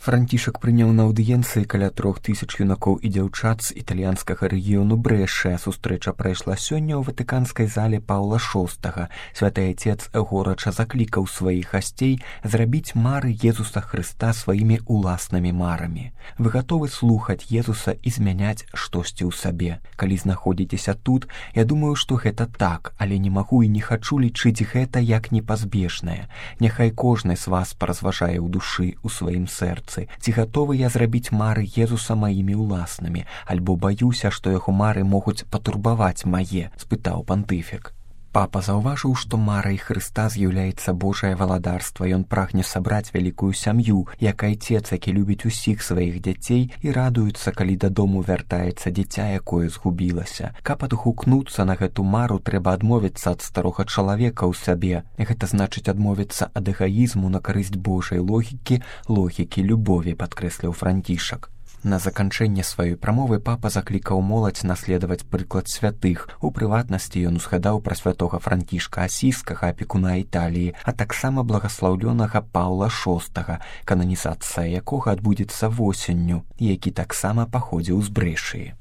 Францішак прыняў на аўдыенцыі каля 3000 юнакоў і дзяўчат з італьянскага рэгіёну Брэшэ. Сустрэча прайшла сёння ў ватыканскай зале Паўла VI. Святы Отец горача заклікаў сваіх гасцей зрабіць мары Езуса Хрыста сваімі уласнымі марамі. Вы гатовы слухаць Езуса і змяняць штосьці ў сабе. Калі знаходзіцеся тут, я думаю, што гэта так, але не магу і не хачу лічыць гэта як непазбежнае. Няхай кожны з вас паразважае ў душы, у сваім сэрцы. Ці гатовы я зрабіць мары Езуса маімі ўласнымі, альбо баюся, што яго мары могуць патурбаваць мае, спытаў пантыфік. Папа заўважыў, што марай Хрыста з'яўляецца Божае валадарства. Ён прагне сабраць вялікую сям'ю, як айцец, які любіць усіх сваіх дзяцей і радуецца, калі дадому вяртаецца дзіця, якое згубілася. Каб адгукнуцца на гэту мару, трэба адмовіцца ад старога чалавека ў сабе. Гэта значыць адмовіцца ад эгаізму на карысць Божай логікі любові, падкрэсліў Францішак. На заканчэнне сваёй прамовы папа заклікаў моладзь наследаваць прыклад святых. У прыватнасці ён узгадаў пра святога Францішка Асійскага, апекуна Італіі, а таксама благаслаўлёнага Паўла VI, кананізацыя якога адбудзецца восенню, які таксама паходзіў з Брэшыі.